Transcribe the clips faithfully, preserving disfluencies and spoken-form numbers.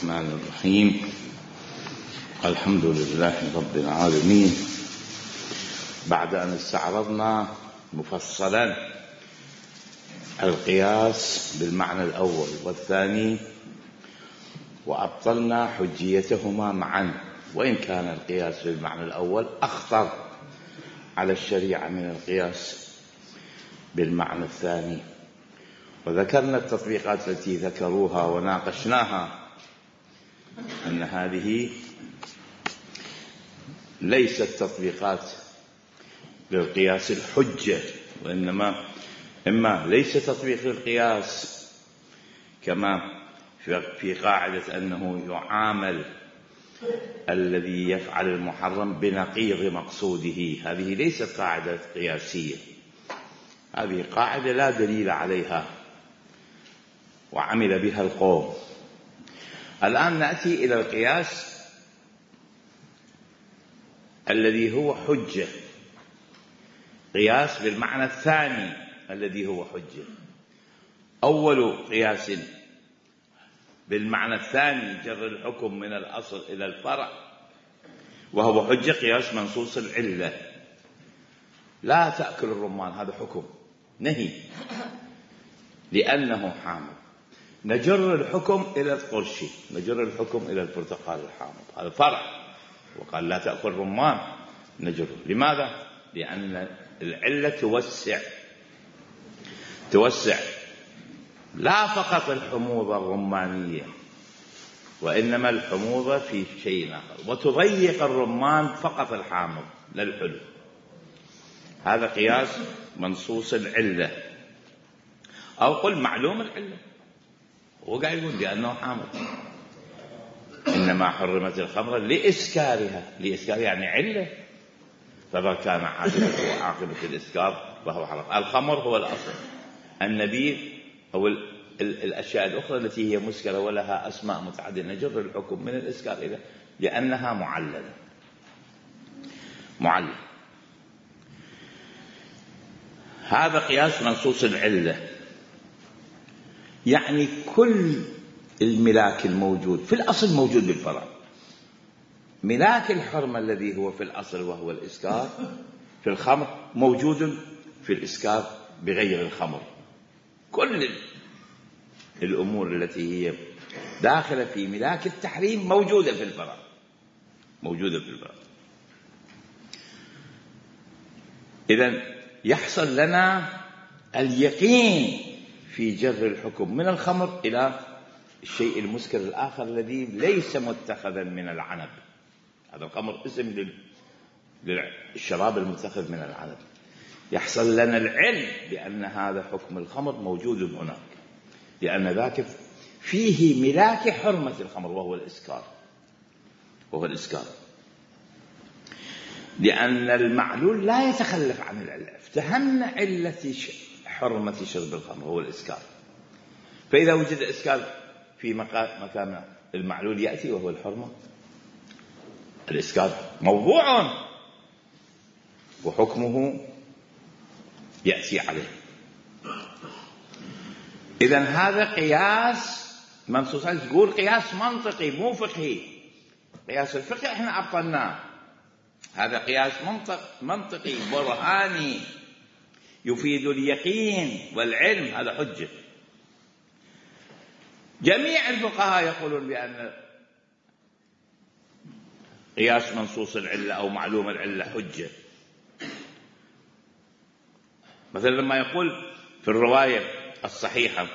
الرحمن الرحيم. الحمد لله رب العالمين. بعد أن استعرضنا مفصلا القياس بالمعنى الأول والثاني وأبطلنا حجيتهما معا، وإن كان القياس بالمعنى الأول أخطر على الشريعة من القياس بالمعنى الثاني، وذكرنا التطبيقات التي ذكروها وناقشناها أن هذه ليست تطبيقات للقياس الحجة، وإنما إما ليس تطبيق للقياس كما في قاعدة أنه يعامل الذي يفعل المحرم بنقيض مقصوده، هذه ليست قاعدة قياسية، هذه قاعدة لا دليل عليها وعمل بها القوم. الآن نأتي إلى القياس الذي هو حجة، قياس بالمعنى الثاني الذي هو حجة. أول قياس بالمعنى الثاني جر الحكم من الأصل إلى الفرع وهو حجة، قياس منصوص العلة. لا تأكل الرمان، هذا حكم نهي لأنه حامض، نجر الحكم إلى القرشي، نجر الحكم إلى البرتقال الحامض، هذا فرع. وقال لا تأكل رمان، نجر. لماذا؟ لأن العلة توسع توسع لا فقط الحموضة الرمانية، وإنما الحموضة في شيء آخر، وتضيق الرمان فقط الحامض للحلو. هذا قياس منصوص العلة، أو قل معلوم العلة، هو قاعد يقول لأنه حامض. إنما حرمت الخمر لإسكارها، لإسكارها يعني علة، فما كان عاقبته عاقبة الإسكار فهو حرام. الخمر هو الأصل، النبيذ أو الأشياء الأخرى التي هي مسكرة ولها أسماء متعددة نجر الحكم من الإسكار إلى لأنها معللة معلل. هذا قياس منصوص العلة، يعني كل الملاك الموجود في الأصل موجود بالفرع. ملاك الحرمة الذي هو في الأصل وهو الإسكار في الخمر موجود في الإسكار بغير الخمر. كل الأمور التي هي داخلة في ملاك التحريم موجودة في الفرع، موجودة في الفرع. إذن يحصل لنا اليقين في جر الحكم من الخمر إلى الشيء المسكر الآخر الذي ليس متخذا من العنب. هذا الخمر اسم للشراب المتخذ من العنب. يحصل لنا العلم بأن هذا حكم الخمر موجود هناك، لأن ذاك فيه ملاك حرمة الخمر وهو الإسكار وهو الإسكار لأن المعلول لا يتخلف عن العلة. افتهمنا علة حرمة شرب الخمر هو الإسكار، فإذا وجد إسكار في مكان المعلول يأتي وهو الحرمة. الإسكار موضوع وحكمه يأتي عليه. إذن هذا قياس منصوص. تقول قياس منطقي مو فقهي. قياس الفقه احنا أبطلناه، هذا قياس منطق منطقي برهاني يفيد اليقين والعلم، هذا حجة. جميع الفقهاء يقولون بأن قياس منصوص العلة أو معلوم العلة حجة. مثلا لما يقول في الرواية الصحيحة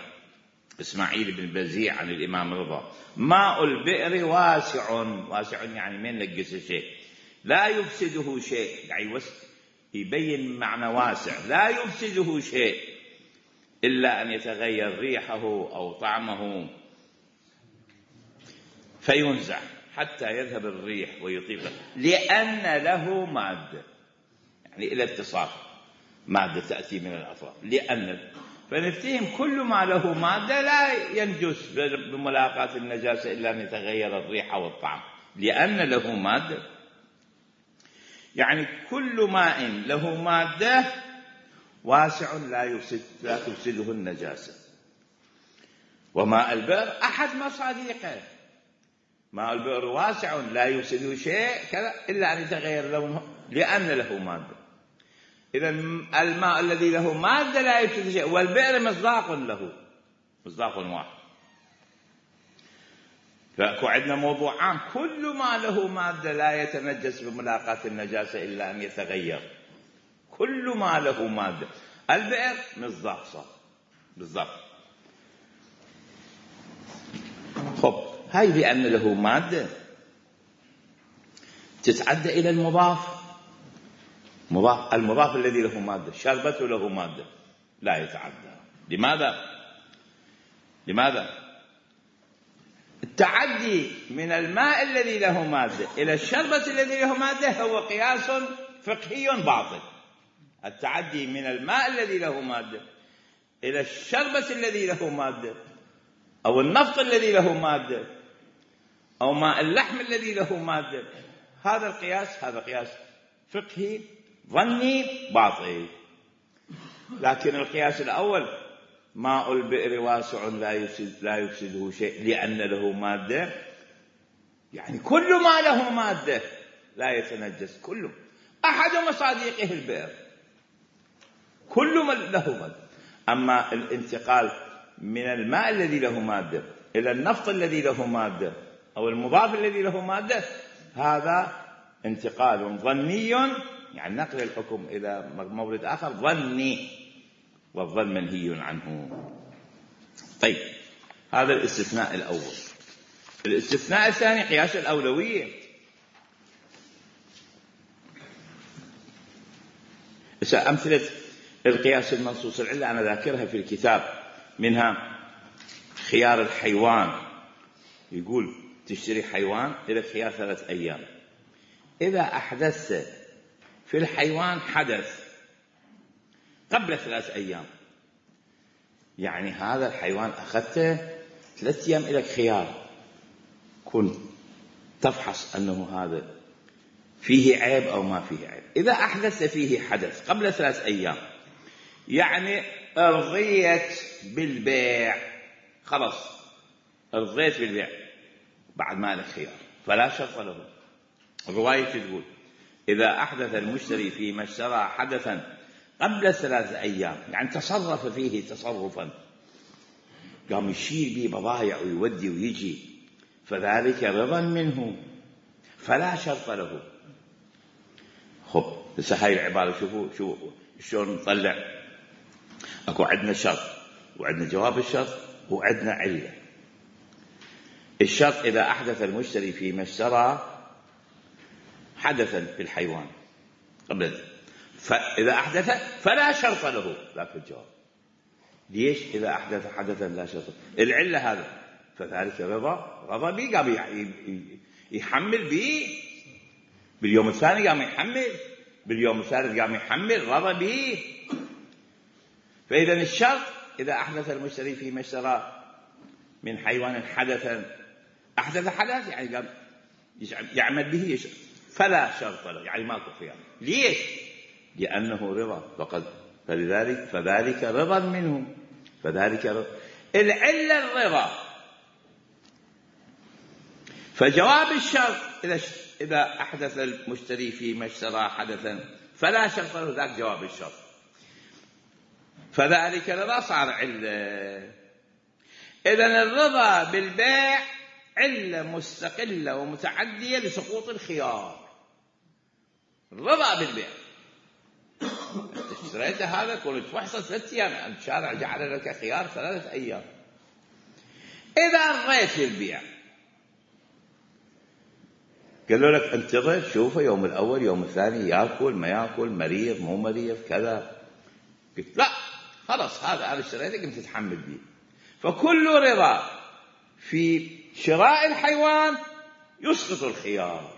إسماعيل بن بزيع عن الإمام رضا: ماء البئر واسع، واسع يعني من نقص شيء لا يفسده شيء، يعني يبين معنى واسع، لا يفسده شيء إلا أن يتغير ريحه أو طعمه فينزع حتى يذهب الريح ويطيبه، لأن له مادة، يعني إلى اتصال مادة تأتي من الأطراف. لأن فنفتهم كل ما له مادة لا ينجس بملاقاة النجاسة إلا أن يتغير الريح والطعم، لأن له مادة. يعني كل ماء له مادة واسع لا يفسد لا تفسده النجاسة. وماء البئر أحد مصادقه، ماء البئر واسع لا يفسده شيء كذا إلا أن يتغير لونه لأن له مادة. إذا الماء الذي له مادة لا يفسده شيء، والبئر مصداق له، مصداق واحد. فأكو عندنا موضوع عام، كل ما له مادة لا يتنجس بملاقاة النجاسة إلا أن يتغير، كل ما له مادة. البئر مصداق صار بالضبط. خب هاي بأن له مادة تتعدى إلى المضاف. مضاف المضاف الذي له مادة، شربته له مادة لا يتعدى. لماذا؟ لماذا؟ التعدي من الماء الذي له مادة إلى الشربة الذي له مادة هو قياس فقهي باطل. التعدي من الماء الذي له مادة إلى الشربة الذي له مادة، أو النفط الذي له مادة، أو ماء اللحم الذي له مادة، هذا القياس هذا قياس فقهي ظني باطل. لكن القياس الأول ماء البئر واسع لا يفسد لا يفسده شيء لأن له مادة، يعني كل ما له مادة لا يتنجس، كله. أحد مصادقه البئر، كل ما له مادة. أما الانتقال من الماء الذي له مادة إلى النفط الذي له مادة أو المضاف الذي له مادة، هذا انتقال ظني، يعني نقل الحكم إلى مورد آخر ظني، والظن منهي عنه. طيب هذا الاستثناء الأول. الاستثناء الثاني قياس الأولوية. أمثلة القياس المنصوص العلة أنا ذاكرها في الكتاب، منها خيار الحيوان. يقول تشتري حيوان إلى خيار ثلاث أيام، إذا أحدثت في الحيوان حدث قبل ثلاث أيام، يعني هذا الحيوان أخذته ثلاث أيام إلى خيار، كنت تفحص أنه هذا فيه عيب أو ما فيه عيب. إذا أحدث فيه حدث قبل ثلاث أيام، يعني رضيت بالبيع، خلاص رضيت بالبيع بعد ما له خيار، فلا شرط له. الرواية تقول إذا أحدث المشتري فيما اشترى حدثا قبل ثلاث أيام، يعني تصرف فيه تصرفا، قام يشيل به بضائع ويودي ويجي، فذلك رضا منه فلا شرط له. خب هسه هاي العبارة شوفوا شو شلون نطلع. اكو عندنا شرط وعندنا جواب الشرط وعندنا علة. الشرط إذا أحدث المشتري فيما اشترى حدثا في الحيوان قبل، فإذا أحدث فلا شرط له، ذاك الجواب. ليش؟ إذا أحدث حدثا لا شرط. العلة هذا فذلك رضا رضا بي، قام يحمل بي، باليوم الثاني قام يحمل، باليوم الثالث قام يحمل، رضا بي. فإذا الشرط إذا أحدث المشتري فيما اشترى من حيوان حدثا، أحدث حدث يعني قام يعمل به، فلا شرط له، يعني ماكو خيار. ليش؟ لأنه رضا فقد، فلذلك فذلك رضا منه، فذلك رضا. العلة الرضا. فجواب الشرط إذا إذا أحدث المشتري فيما اشترى حدثا فلا شرط له، ذاك جواب الشرط، فذلك رضا صار علة. إذن الرضا بالبيع علة مستقلة ومتعدية لسقوط الخيار. الرضا بالبيع، اشتريت هذا كنت تفحصه ثلاث أيام، الشارع جعل لك خيار ثلاثة أيام. إذا رضيت البيع قالوا لك انتظر شوفه يوم الأول يوم الثاني يأكل ما يأكل، مريض مو مريض كذا، قلت لا خلاص هذا أنا اشتريته قمت تتحمل به. فكل رضا في شراء الحيوان يسقط الخيار.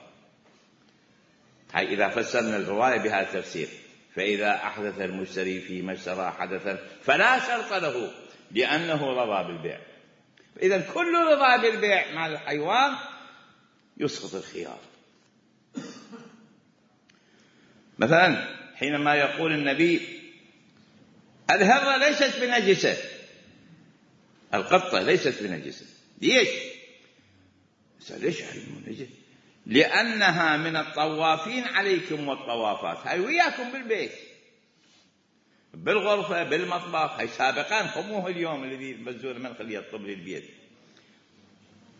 هاي إذا فسرنا الرواية بهذا التفسير، فإذا أحدث المشتري فيما اشترى حدثا فلا شرط له لأنه رضى بالبيع. إذا كل رضا بالبيع مع الحيوان يسقط الخيار. مثلا حينما يقول النبي الهرة ليست بنجسة، القطة ليست بنجسة، ليش؟ ليش علم نجس؟ لأنها من الطوافين عليكم والطوافات. هاي وياكم بالبيت بالغرفة بالمطبخ، هاي سابقا خموه اليوم الذي بزور من خليه يطب للبيت.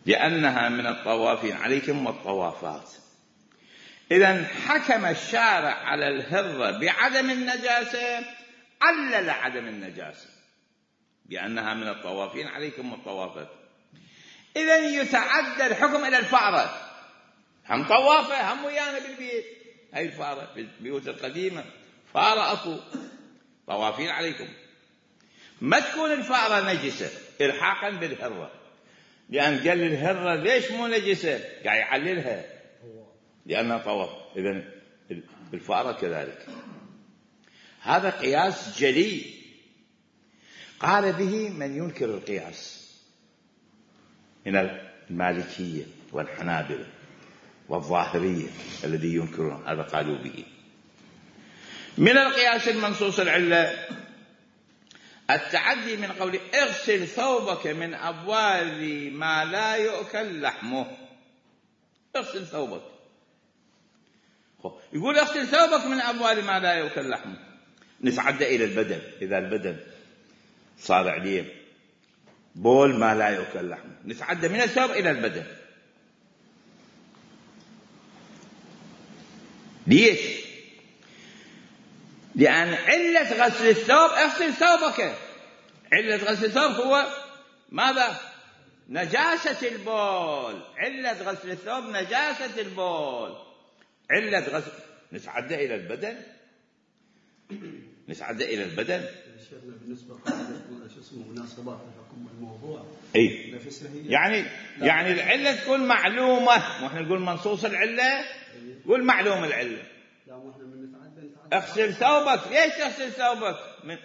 لأنها من الطوافين عليكم والطوافات. إذن حكم الشارع على الهرة بعدم النجاسة، علل عدم النجاسة بأنها من الطوافين عليكم والطوافات. إذن يتعدى الحكم إلى الفأرة، هم طوافة هم ويانا بالبيت. هاي الفأرة في البيوت القديمة فأرة أكو طوافين عليكم. ما تكون الفأرة نجسة إلحاقا بالهرة، لأن قال الهرة ليش مو نجسة؟ قاعد يعللها لأنها طواف. إذن الفأرة كذلك. هذا قياس جلي قال به من ينكر القياس من المالكية والحنابلة والظاهرية الذي ينكرون هذا قالوا به. من القياس المنصوص العلة التعدي من قول اغسل ثوبك من أبوال ما لا يؤكل لحمه. اغسل ثوبك، يقول اغسل ثوبك من أبوال ما لا يؤكل لحمه. نتعدى إلى البدن، إذا البدن صار عليه بول ما لا يؤكل لحمه نتعدى من الثوب إلى البدن. ليش؟ لأن علة غسل الثوب اغسل ثوبك، علة غسل الثوب هو ماذا؟ نجاسة البول. علة غسل الثوب نجاسة البول. علة غسل نتعدى إلى البدن، نتعدى إلى البدن. بالنسبة شو اسمه مناسبات الحكم الموضوع. إيه يعني يعني العلة تكون معلومة، واحنا نقول منصوص العلة قول معلوم العلة. لا احنا من نتعدى نتعدى اغسل ثوبك. ليش تغسل ثوبك؟ من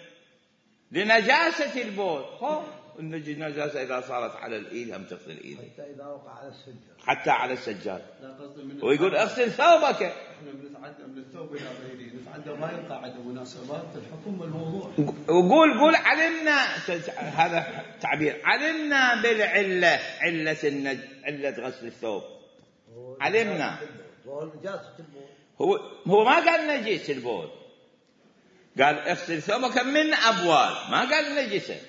لنجاسة البول. هو النجاسة إذا صارت على الإيد هم تغسل الإيد، حتى إذا وقع على السجاد، حتى على السجاد. من ويقول اغسل ثوبك. احنا بنتعدى من الثوب إلى غيره، نتعدى ما يقع عند مناسبات الحكم والموضوع. وقول قول علمنا، هذا تعبير، علمنا بالعلة، علة النج علة غسل الثوب علمنا. هو هو ما قال نجس البول، قال اغسل ثوبك من أبوال، ما قال نجسة،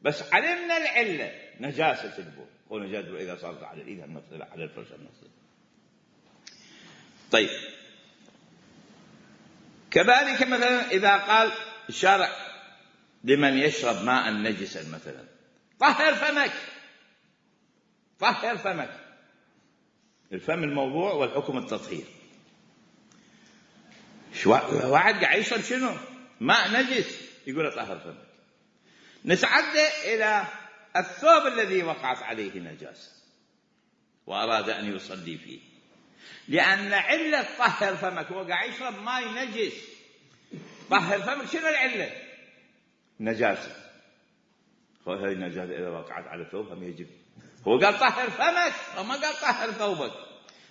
بس علمنا العلة نجاسة البول. هو نجاسة إذا صارت على الإيد المغسلة على الفرش المغسلة. طيب كذلك مثلا إذا قال الشارع لمن يشرب ماء نجسا مثلا طهر فمك، طهر فمك. الفم الموضوع والحكم التطهير. واحد قاعد يشرب شنو؟ ماء نجس، يقول طهر فمك. نتعدى إلى الثوب الذي وقعت عليه نجاسة وأراد أن يصلي فيه، لأن علة طهر فمك هو قاعد يشرب ماء نجس. طهر فمك شنو العلة؟ نجاسة. هذه النجاسة إذا وقعت على الثوب هم يجب. هو قال طهر فمك وما قال طهر ثوبك،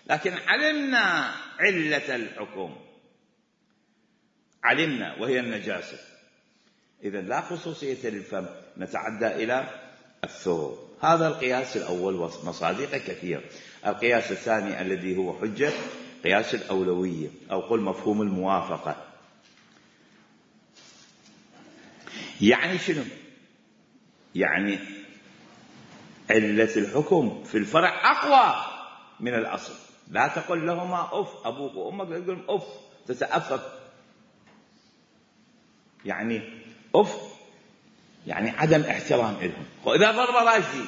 لكن علمنا علة الحكم، علمنا وهي النجاسة. إذن لا خصوصية للفم، نتعدى إلى الثوب. هذا القياس الأول ومصادقه كثير. القياس الثاني الذي هو حجة قياس الأولوية أو قل مفهوم الموافقة. يعني شنو؟ يعني علة الحكم في الفرع أقوى من الأصل. لا تقل لهما أف، أبوك وأمك لا تقول أف تتأفف، يعني أف يعني عدم احترام لهم. وإذا ضرب راشدي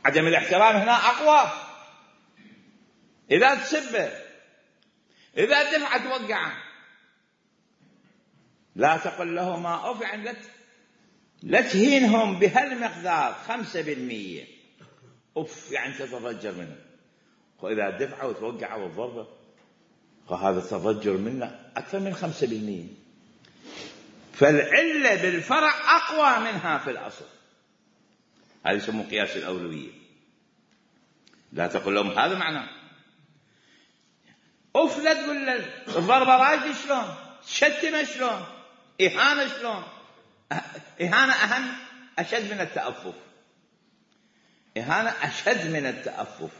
عدم الاحترام هنا أقوى. إذا تسبه، إذا دفع توقعه. لا تقل لهما أف يعني لا تهينهم بهالمقدار خمسة بالمية. أف يعني تتضجر منه. وإذا دفعه وتوقعه والضربة فهذا التضجر منه أكثر من خمسة بالمية. فالعلة بالفرع أقوى منها في الأصل. هذا يسمى قياس الأولوية. لا تقول لهم هذا معناه أف، لا تقول له الضربة راجل شلون، شتم شلون، إهانة شلون. إهانة أهم أشد من التأفف. إهانة أشد من التأفف.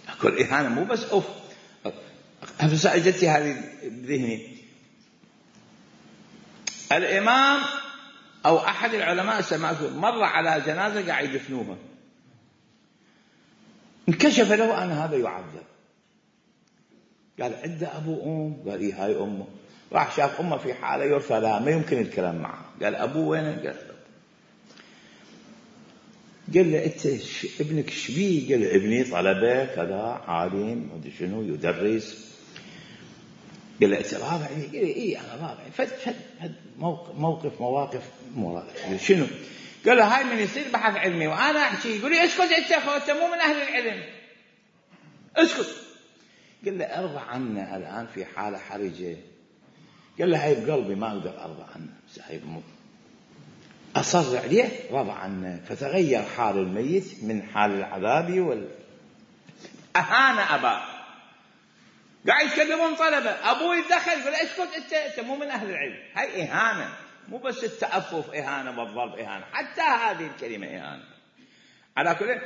أقول إهانة مو بس أوف. هسه أجتي هذه بذهني. الإمام أو أحد العلماء سمعته مر على جنازة قاعد يدفنوها، انكشف له أن هذا يعذب. قال عنده أبو أم؟ قال إيه هاي أمه. راح شاف أمه في حالة يرثى لها ما يمكن الكلام معه. قال أبوه وينه؟ قال قال له أنت ابنك شبيه؟ قال ابني طلبة كذا عالم ودي شنو يدرس. قال له أنت رابع؟ قال له إيه أنا رابع. فد فد فد موقف موقف مواقف قال شنو؟ قال له هاي من يصير بحث علمي وأنا أحكي. يقول لي اسكت أنت أنت مو من أهل العلم اسكت. قال له أرضى عنا الآن في حالة حرجة. قال له هاي بقلبي ما أقدر أرضى عنه، بس هاي بموت. أصر عليه رضى عنه، فتغير حال الميت من حال العذاب وال أهان أباه. قاعد يتكلمون طلبة، أبوه يتدخل يقول اسكت أنت أنت مو من أهل العلم. هاي إهانة، مو بس التأفف إهانة والضرب إهانة، حتى هذه الكلمة إهانة. على كل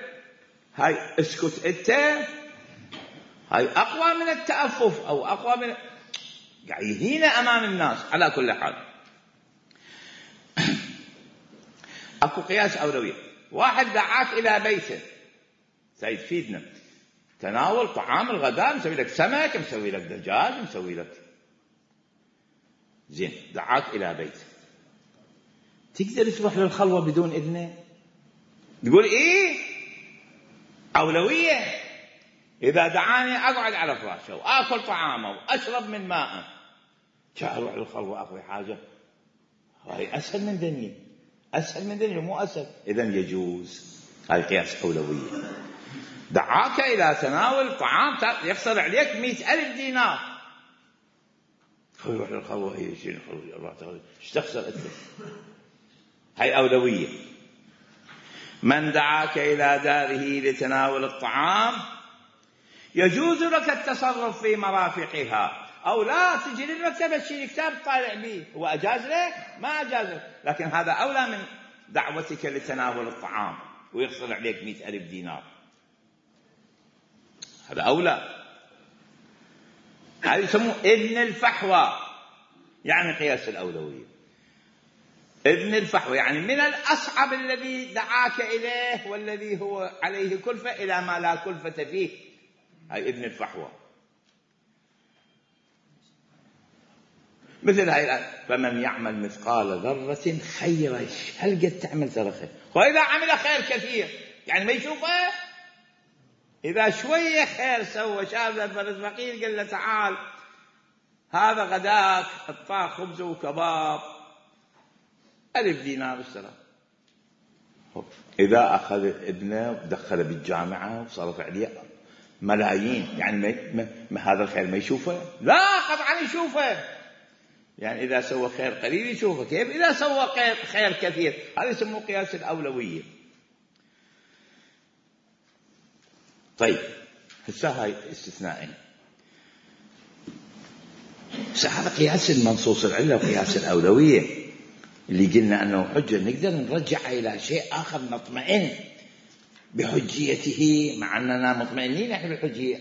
هاي اسكت أنت هاي أقوى من التأفف أو أقوى من قاعد يهين أمام الناس. على كل حال أكو قياس أولوية. واحد دعاك إلى بيته سيد فيدنا تناول طعام الغداء، مسوي لك سمك، مسوي لك دجاج، مسوي لك زين، دعاك إلى بيته. تقدر تروح للخلوة بدون إذنه؟ تقول إيه أولوية. إذا دعاني أقعد على فراشه وآكل طعامه وأشرب من ماءه، جاء أروح للخلوة أخوي حاجة، هاي أسهل من دنيا، أسهل من دنيا مو أسهل. إذن يجوز. هاي قياس أولوية. دعاك إلى تناول طعام يخسر عليك مئة ألف دينار، يروح للخلوة هي شيء الخلوة ايش تخسر أنت؟ هاي أولوية. من دعاك إلى داره لتناول الطعام يجوز لك التصرف في مرافقها، أو لا تجي للمكتبة تشيل كتاب طالع به. هو أجاز لك؟ ما أجاز لك، لكن هذا أولى من دعوتك لتناول الطعام ويخسر عليك مئة ألف دينار. هذا أولى. هذا يسموه ابن الفحوى، يعني قياس الأولوية. ابن الفحوى يعني من الأصعب الذي دعاك إليه والذي هو عليه كلفة إلى ما لا كلفة فيه. هاي ابن الفحوى. مثل هاي الآية فمن يعمل مثقال ذرة خيرا. هل قد تعمل ترى خير؟ وإذا عمل خير كثير يعني ما يشوفه. إذا شوية خير سوى، شاف الفرد فقير قال له تعال هذا غداك، اعطاه خبز وكباب، ألف دينار اشترى. إذا أخذ ابنه ودخله بالجامعة وصرف عليه ملايين، يعني ما ما هذا الخير ما يشوفه؟ لا قطعا يشوفه. يعني إذا سوى خير قليل يشوفه، كيف إذا سوى خير, خير كثير؟ هذا يسموه قياس الأولوية. طيب هسه هاي استثنائين. هذا قياس المنصوص العلة وقياس الأولوية اللي قلنا أنه حجة، نقدر نرجع إلى شيء آخر نطمئن بحجيته، مع أننا مطمئنين نحن بالحجية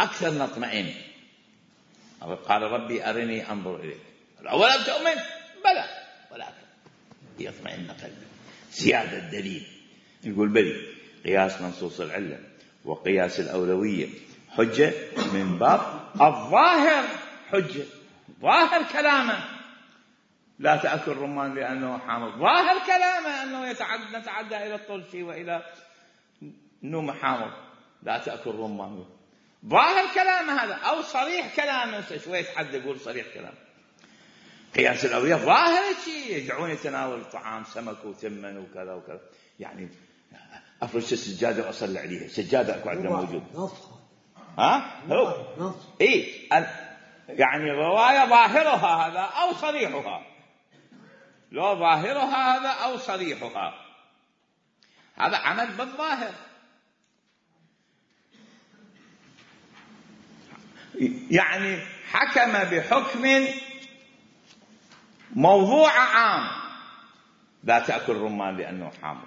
أكثر نطمئن. قال ربي أرني أنظر إليك، أولم تؤمن؟ بلى ولكن يطمئن قلبي. زيادة الدليل يقول بلي. قياس منصوص العلة وقياس الأولوية حجة من باب الظاهر. حجة ظاهر كلامه لا تأكل رمان لأنه حامض، ظاهر كلامه أنه يتعدى نتعدى إلى الطلشي وإلى النوم حامض، لا تأكل رمان، ظاهر كلامه هذا. أو صريح كلامه، شوية حد يقول صريح كلام. قياس الأولوية ظاهر شيء، يدعون يتناول الطعام سمك وتمن وكذا وكذا، يعني أفرش السجادة وأصلي عليها. سجادة أكو عندنا موجود. ها هو إيه يعني رواية ظاهرها هذا أو صريحها، لو ظاهرها هذا أو صريحها، هذا عمل بالظاهر. يعني حكم بحكم موضوع عام لا تأكل رمان لأنه حامض،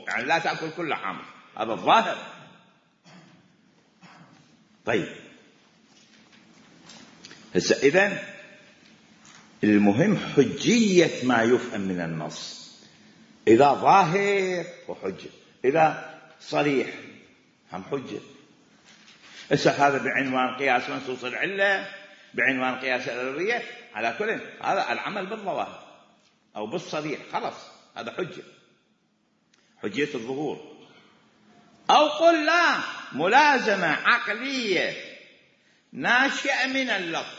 يعني لا تأكل كله حامض، هذا الظاهر. طيب هسه إذن المهم حجية ما يفهم من النص، إذا ظاهر وحجة، إذا صريح هم حجة. هسه هذا بعنوان قياس منصوص العلة، بعنوان قياس الأولوية، على كل هذا العمل بالظواهر أو بالصريح خلاص هذا حجة، حجية الظهور. أو قل لا، ملازمة عقلية ناشئة من اللفظ.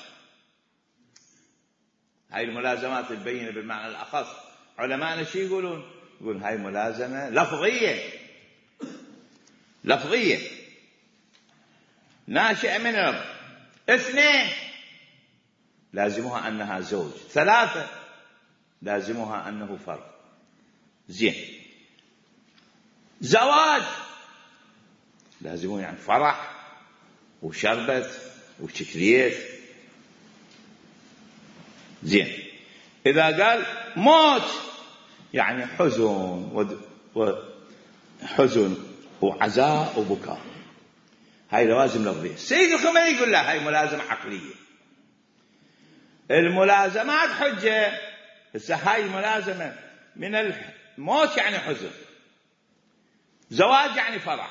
هاي الملازمات البينة بالمعنى الأخص علماءنا شو يقولون؟ يقول هاي ملازمة لفظية، لفظية ناشئة من اللفظ. اثنين لازمها أنها زوج، ثلاثة لازمها أنه فرد. زين، زواج لازمه يعني فرح وشربت وشكليت. زين، إذا قال موت يعني حزن وحزن وعزاء وبكاء، هاي لوازم لفظية. سيد الخميني يقول لا، هاي ملازمة عقلية. الملازمات حجة. هسه هاي ملازمة من الموت يعني حزن، زواج يعني فرح،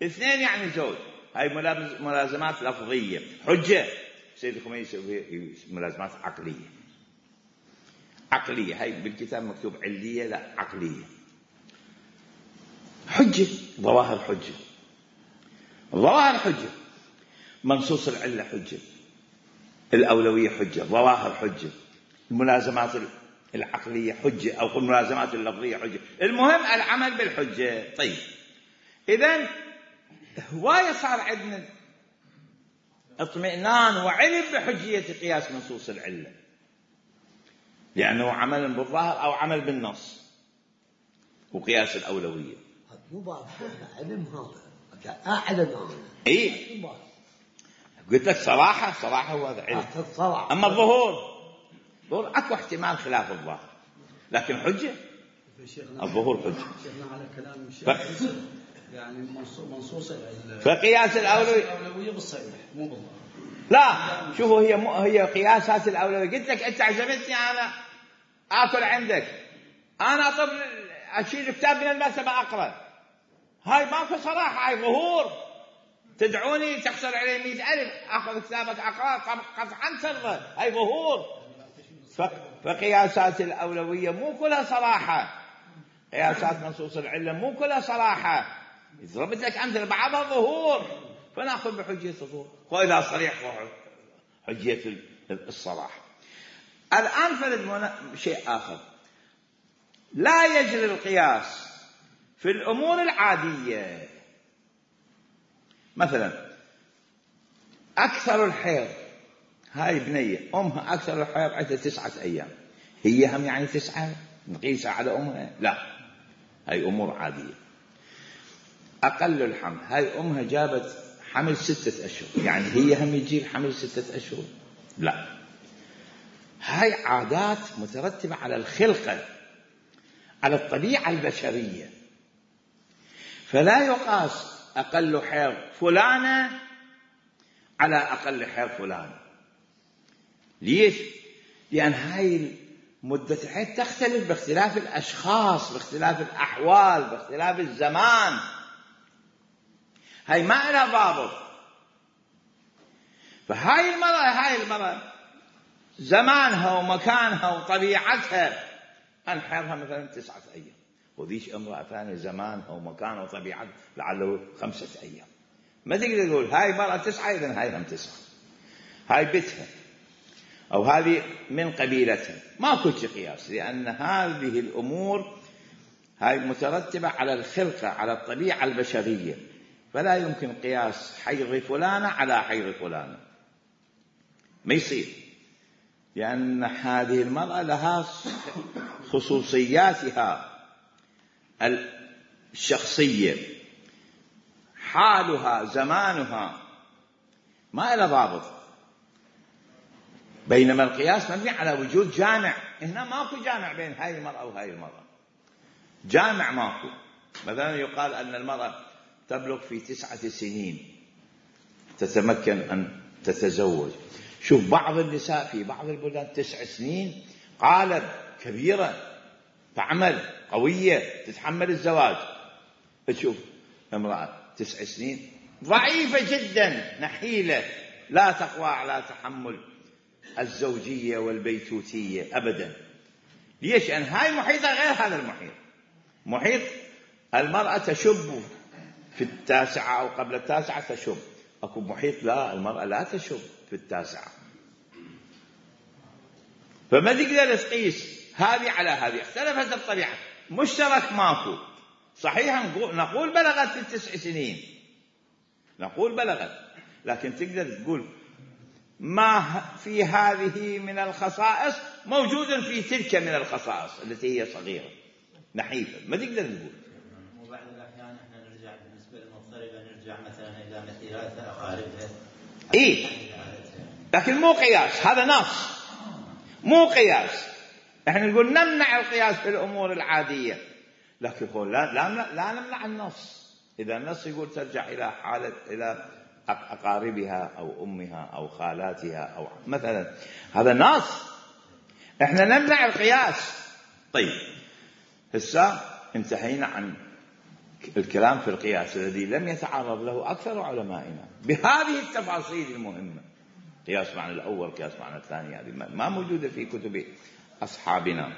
اثنين يعني زوج، هاي ملازمات لفظية حجة. سيد الخميني يسوي ملازمات عقلية، عقلية. هاي بالكتاب مكتوب علية، لا عقلية. حجة، ظواهر حجة، الظواهر حجة، منصوص العلة حجة، الأولوية حجة، ظواهر حجة، الملازمات العقلية حجة أو الملازمات اللفظية حجة. المهم العمل بالحجة. طيب إذن هواية صار عندنا اطمئنان وعلم بحجية قياس منصوص العلة، لأنه عمل بالظاهر أو عمل بالنص، وقياس الأولوية. مو بعض علم هذا أعلن أنا. إيه قلت لك صراحة، صراحة هو هذا علم. صراحة. أما الظهور، ظهور أكو احتمال خلاف الظاهر، لكن حجة الظهور حجة. شيخنا على كلام الشيخ ف... يعني منصوص فقياس الأولوية الأولوية بالصريح مو بالظاهر. لا شوفوا، هي م... هي قياسات الأولوية. قلت لك أنت عزمتني أنا آكل عندك، أنا أطلب أشيل كتاب من المكتبة أقرأ، هاي ماكو صراحة، هاي ظهور. تدعوني تخسر علي مئة ألف أخذ كتابك أقرأ قطعا ترضى، هاي ظهور. ف... فقياسات الأولوية مو كلها صراحة، قياسات منصوص العلة مو كلها صراحة. ضربت لك أمثلة بعضها ظهور، فنأخذ بحجية الظهور، وإذا صريح حجية الصراحة. الآن فرد شيء آخر، لا يجري القياس في الأمور العادية. مثلا أكثر الحيض، هاي بنية أمها أكثر الحيض عندها تسعة أيام، هي هم يعني تسعة نقيسها على أمها؟ لا، هاي أمور عادية. أقل الحمل، هاي أمها جابت حمل ستة أشهر، يعني هي هم يجيب حمل ستة أشهر؟ لا، هاي عادات مترتبة على الخلقة، على الطبيعة البشرية، فلا يقاس أقل حيض فلانة على أقل حيض فلانة. ليش؟ لأن هاي مدة الحيض تختلف باختلاف الأشخاص، باختلاف الأحوال، باختلاف الزمان، هاي ما لها ضابط. فهاي المرأة هاي المرأة زمانها ومكانها وطبيعتها أن حيضها مثلا تسعة أيام، وذيش امرأة ثانية زمانها ومكانها وطبيعتها لعله خمسة أيام. ما تقدر تقول هاي مرأة تسعة إذن هاي هم تسعة، هاي بيتها أو هذه من قبيلتها، ما كنت قياس، لأن هذه الأمور هاي مترتبة على الخلقة، على الطبيعة البشرية، فلا يمكن قياس حيض فلانة على حيض فلانة، ما يصير، لأن هذه المرأة لها خصوصياتها الشخصية، حالها، زمانها، ما إلى ضابط. بينما القياس مبني على وجود جامع هنا ماكو جامع بين هاي المرأة وهاي المرأة، جامع ماكو. مثلا يقال أن المرأة تبلغ في تسعة سنين تتمكن أن تتزوج. شوف بعض النساء في بعض البلدان تسع سنين قالب كبيرة، تعمل قوية، تتحمل الزواج. تشوف امرأة تسع سنين ضعيفة جدا، نحيلة، لا تقوى على تحمل الزوجية والبيتوتية أبدا. ليش؟ لأن هاي محيطة غير هذا المحيط. محيط المرأة تشب في التاسعة أو قبل التاسعة تشب، أكو محيط لا، المرأة لا تشب في التاسعة. فما تقدر تقيس هذه على هذه، اختلفت الطبيعة، مشترك ماكو. صحيح نقول بلغت في التسع سنين، نقول بلغت، لكن تقدر تقول ما في هذه من الخصائص موجود في تلك من الخصائص التي هي صغيرة نحيفة، ما تقدر تقول. وبعض الأحيان احنا نرجع بالنسبة للمغتربة نرجع مثلا إلى مثيلات أقاربها. إيه، لكن مو قياس، هذا نص مو قياس. احنا نقول نمنع القياس في الأمور العادية، لكن لا, لا, لا نمنع النص. إذا النص يقول ترجع إلى حالة إلى أقاربها أو أمها أو خالاتها أو مثلا، هذا نص، احنا نمنع القياس. طيب هسه انتهينا عن الكلام في القياس الذي لم يتعرض له أكثر علمائنا بهذه التفاصيل المهمة. قياس معنى الأول، قياس معنى الثاني، هذه ما موجودة في كتب أصحابنا.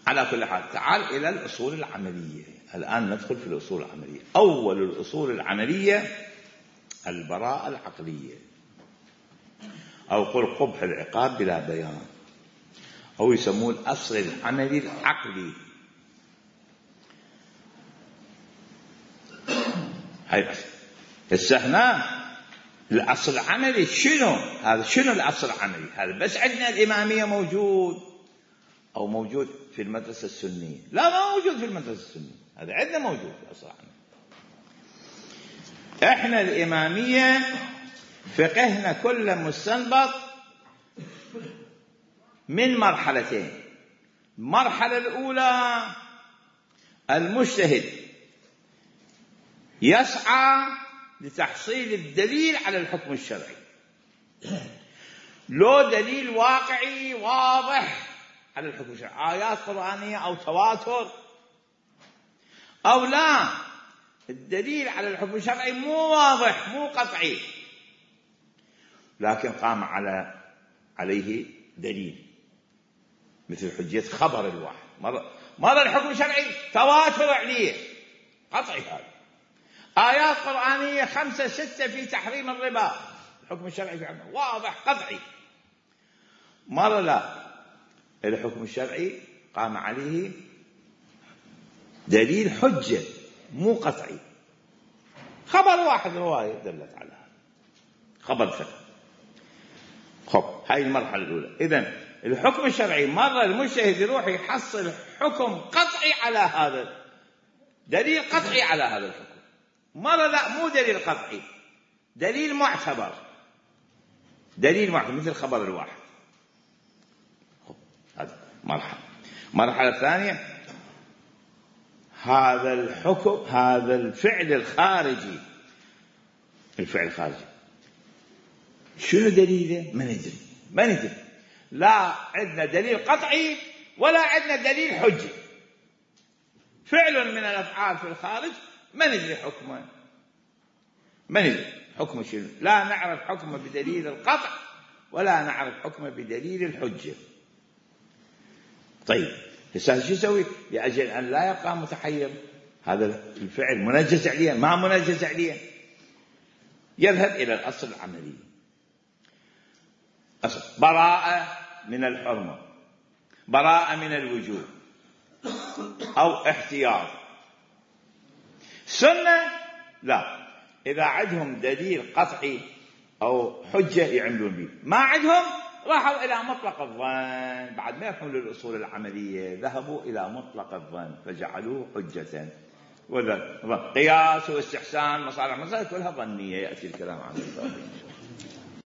على كل حال تعال إلى الأصول العملية. الآن ندخل في الأصول العملية. أول الأصول العملية البراءة العقلية، أو قل قبح العقاب بلا بيان، أو يسمون الأصل العملي العقلي. هاي السهنا الأصل العملي شنو؟ هذا شنو الأصل العملي؟ هذا بس عندنا الإمامية موجود أو موجود في المدرسة السنية؟ لا، ما موجود في المدرسة السنية، هذا عندنا موجود في الأصل العملي. احنا الإمامية فقهنا كله مستنبط من مرحلتين. المرحلة الأولى المجتهد يسعى لتحصيل الدليل على الحكم الشرعي، لو دليل واقعي واضح على الحكم الشرعي، آيات قرآنية أو تواتر، أو لا الدليل على الحكم الشرعي مو واضح مو قطعي، لكن قام على عليه دليل مثل حجية خبر الواحد. مرة مرة الحكم الشرعي تواتر عليه قطعي، هذا آيات قرآنية خمسة ستة في تحريم الربا، الحكم الشرعي في عنه واضح قطعي. مرة لا، الحكم الشرعي قام عليه دليل حجة مو قطعي، خبر واحد رواية دلت على هذا، خبر فقط. خب هاي المرحلة الأولى. إذن الحكم الشرعي مرة المجتهد يروح يحصل حكم قطعي على هذا، دليل قطعي على هذا الحكم. مرة لا، مو دليل قطعي، دليل معتبر، دليل معتبر مثل خبر الواحد. هذا مرحلة. مرحلة ثانية هذا الحكم، هذا الفعل الخارجي، الفعل الخارجي شنو دليله؟ ما ندري، ما ندري، لا عندنا دليل قطعي ولا عندنا دليل حجي. فعل من الأفعال في الخارج ما ندري حكمه، ما ندري حكمه شنو، لا نعرف حكمه بدليل القطع ولا نعرف حكمه بدليل الحجة. طيب هسه شو يسوي لأجل أن لا يبقى متحير؟ هذا الفعل منجز عليه ما منجز عليه، يذهب إلى الأصل العملي. أصل براءة من الحرمة، براءة من الوجوب، أو احتياط. سنة لا، إذا عندهم دليل قطعي أو حجة يعملون به، ما عندهم راحوا إلى مطلق الظن، بعد ما يفهموا الأصول العملية ذهبوا إلى مطلق الظن فجعلوه حجة. وذا قياس واستحسان مصالح مصالح كلها ظنية، يأتي الكلام عنه.